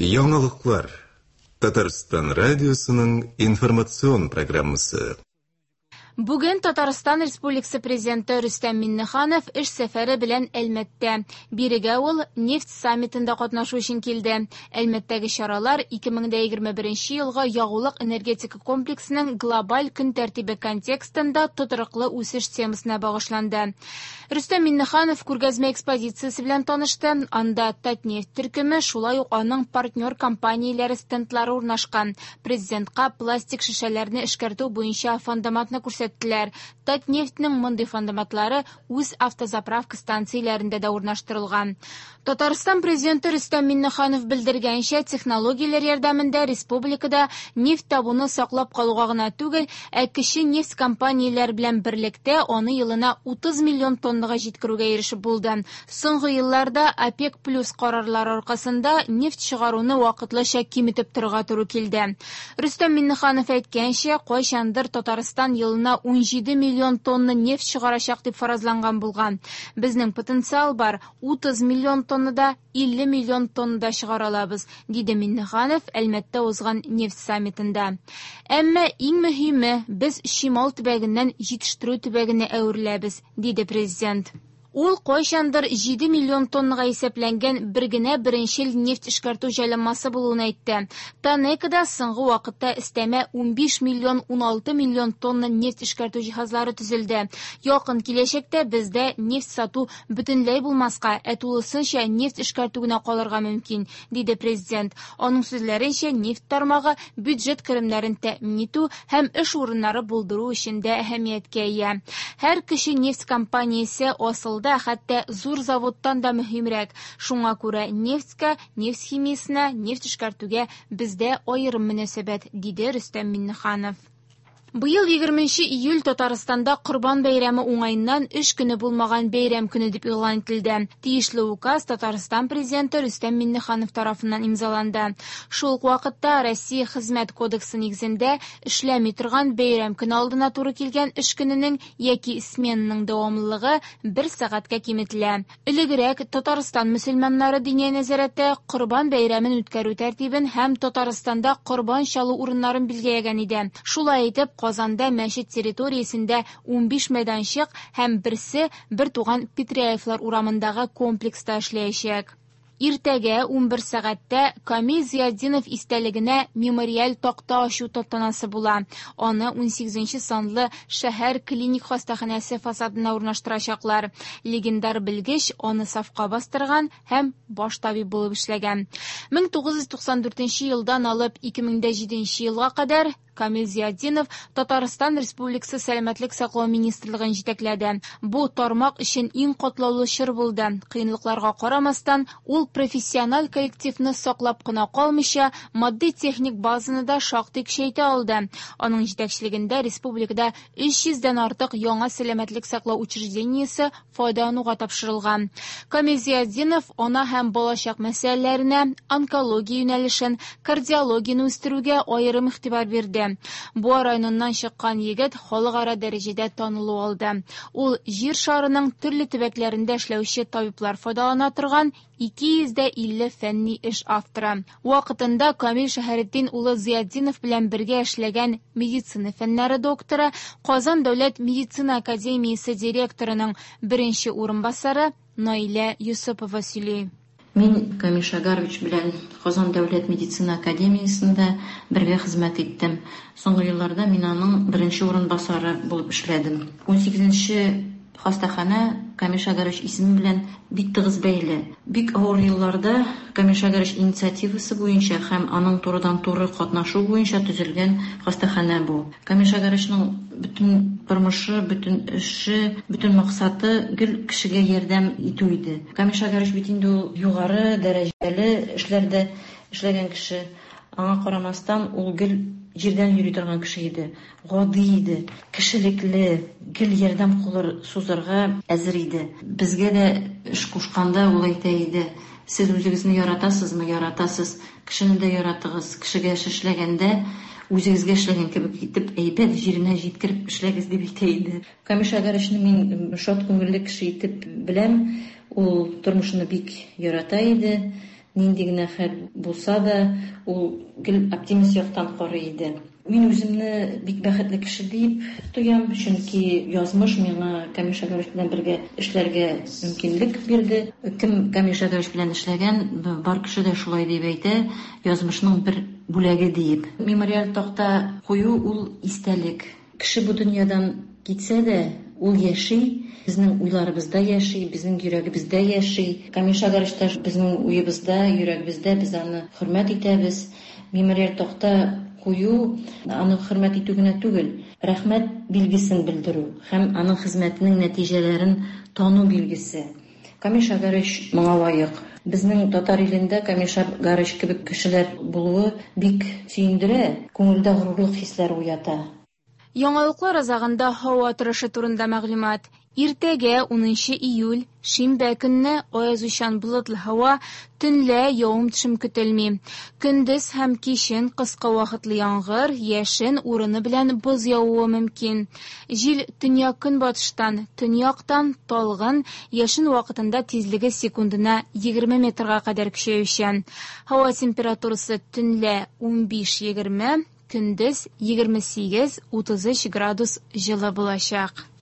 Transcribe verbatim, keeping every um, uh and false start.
Яңалыклар. Татарстан радиосының информацион программасы. Бүген Татарстан Республикасы Президенты Рөстәм Миңнеханов эш сәфәре белән Әлмәттә. Бирегә ул нефть саммитында катнашу өчен килде. Әлмәттәге чаралар ике мең дә егерме беренче елгы ягулык энергетика комплексының глобаль көн тәртибе контекстында тотрыклы үсеш темасына багышланды. Рөстәм Миңнеханов күргәзмә экспозициясе белән танышты. Анда Татнефть төркеме, шулай ук аның партнер компанияләре стендлары урнашкан. Президентка пластик шешәләрне эшкәртү буенча фандоматны күрсәттеләр. Татнефтьнең мондый фандоматлары үз автозаправка станцияләрендә дә урнаштырылган. Татарстан президенты Рөстәм Миңнеханов белдергәнчә, технологияләр ярдәмендә республикада нефть табуны саклап калуга гына түгел, ә кече нефть компанияләр белән берлектә аны елына утыз миллион тоннага җиткерүгә ирешеп булды. Соңгы елларда ОПЕК плюс карарлары аркасында нефть чыгаруны вакытлыча киметеп торырга туры килде. Рөстәм Миңнеханов әйткәнчә, кайчандыр Татарстан елына ун җиде миллион тонна нефть чыгарачак дип фаразланган булган. Безнең потенциал бар, утыз миллион тоннада илле миллион тоннада чыгара алабыз, диде Миңнеханов Әлмәттә узган нефть саммитында. Әмма иң мөһиме, без чимал төбәгеннән җитештерү төбәгенә әвереләбез, диде президент. Ул кайчандыр җиде миллион тоннага исәпләнгән бер генә беренчел нефть эшкәртү җайланмасы булуын әйтте. Танекада соңгы вакытта өстәмә унбиш миллион уналты миллион тонна нефть эшкәртү җиһазлары төзелде. Якын киләчәктә бездә нефть сату бөтенләй булмаска, ә тулысынча нефть эшкәртү генә калырга мөмкин, диде президент. Аның сүзләренчә, нефть тармагы бюджет керемнәрен тәэмин итү һәм эш урыннары булдыру өчен дә әһәмияткә ия. Һәр кеше нефть компаниясе асылда хәтта зур заводтан да мөһимрәк. Шуңа күрә нефтькә, нефть химиясенә, нефть эшкәртүгә бездә аерым мөнәсәбәт, диде Рөстәм Миңнеханов. Быел егерменче июль Татарстанда Корбан бәйрәме уңаеннан эш көне булмаган бәйрәм көне дип игълан ителде. Тиешле указ Татарстан президенты Рөстәм Миңнеханов тарафыннан имзаланды. Шул ук вакытта Россия Хезмәт кодексы нигезендә эшләми торган бәйрәм көне алдына туры килгән эш көненең яки сменаның дәвамлылыгы бер сәгатькә киметелә. Элегрәк Татарстан мөселманнары диния нәзарәте Корбан бәйрәмен үткәрү тәртибен һәм Татарстанда корбан чалу урыннарын билгеләгән иде. Шулай итеп, Казанда мәчет территориясендә унбиш мәйданчык һәм берсе бер туган Петряевлар урамындагы комплекста эшләячәк. Иртәгә унбер сәгатьтә Камил Зиятдинов истәлегенә мемориаль такта ачу тантанасы була. Аны унсигезенче санлы шәһәр клиник хастаханәсе фасадына урнаштырачаклар. Легендар белгеч аны сафка бастырган һәм баш табиб булып эшләгән. Мең тугыз йөз туксан дүртенче елдан алып ике мең дә җиденче елга кадәр Камил Зиятдинов Татарстан Республикасы Сәламәтлек саклау министрлыгын җитәкләде. Бу тармак өчен иң катлаулы чор булды. Кыенлыкларга карамастан, ул профессиональ коллективны саклап кына калмыйча, матди-техник базаны да шактый көчәйтә алды. Аның җитәкчелегендә республикада өч йөздән артык яңа сәламәтлек саклау учреждениесе файдалануга тапшырылган. Камил Зиятдинов ана һәм балачак мәсьәләләренә, онкология юнәлешен, кардиологияне үстерүгә аерым игътибар бирде. Буа районыннан чыккан егет халыкара дәрәҗәдә танылу алды. Ул җир шарының төрле төбәкләрендә эшләүче табиблар файдалана торган ике йөз дә илле фәнни эш авторы. Вакытында Камил Шәһретдин улы Зиятдинов белән бергә эшләгән медицина фәннәре докторы, Казан дәүләт медицина академиясе директорының беренче урынбасары Наилә Юсупова сөйли. Мин Камил Шагарович белән Казан дәүләт медицина академиясендә бергә хезмәт иттем. Соңгы елларда мин аның беренче урынбасары булып эшләдем. Унсигезенче хастаханә Камил Шагарович исеме белән бик тыгыз бәйле. Бик авыр елларда Камил Шагарович инициативасы буенча һәм аның турыдан-туры катнашу буенча төзелгән хастаханә бу. Камил Шагаровичның бөтен тормышы, бөтен эше, бөтен максаты гел кешегә ярдәм итү иде. Камил Шагарович бит инде ул югары дәрәҗәле эшләрдә эшләгән кеше. Аңа карамастан ул гел җирдән йөри торган кеше иде. Гади иде, кешелекле, гел ярдәм кулы сузарга әзер иде. Безгә дә эш кушканда ул әйтә иде: Сез үзегезне яратасызмы? Яратасыз. Кешене дә яратыгыз. Кешегә эш эшләгәндә үзегезгә эшләгән кебек итеп, әйбәт җиренә җиткереп эшләгез дип әйтә иде. Камил Шагаровичны мин шат күңелле кеше итеп беләм. Ул тормышны бик ярата иде. Нинди генә хәл булса да, ул гел оптимист яктан карый иде. Мин үземне бик бәхетле кеше дип тоям, чөнки язмыш миңа Камил Шәгарович белән бергә эшләргә мөмкинлек бирде. Кем Камил Шәгарович белән эшләгән, бар кеше дә шулай дип әйтә, язмышның бер бүләге диеп. Мемориаль такта кую ул истәлек. Кеше бу дөньядан китсә дә, ул яши, безнең уйларыбызда яши, безнең йөрәгебездә яши. Камил Шәгарович та безнең уебызда, йөрәгебездә, без аны хөрмәт итәбез. Мемориаль такта кую аны хөрмәт итү генә түгел, рәхмәт билгесен белдерү һәм аның хезмәтенең нәтиҗәләрен тану билгесе. Камил Шәгарович моңа лаек. Безнең татар илендә Камил Шәгарович кебек кешеләр булуы бик сөендерә, күңелдә горурлык хисләре уята. Яңалыклар азагында һава торышы турында мәгълүмат. Иртәгә унынчы июль, шимбә көнне аязучан болытлы һава, төнлә явым-төшем көтелми. Көндез һәм кичен кыска вакытлы яңгыр, яшен урыны белән боз явуы мөмкин. Җил төньяк-көнбатыштан, төньяктан талгын, яшен вакытында тизлеге секундына егерме метрга кадәр көчәючән. Һава температурасы төнлә унбиш-егерме, көндез егерме сигез-утыз өч градус җылы булачак.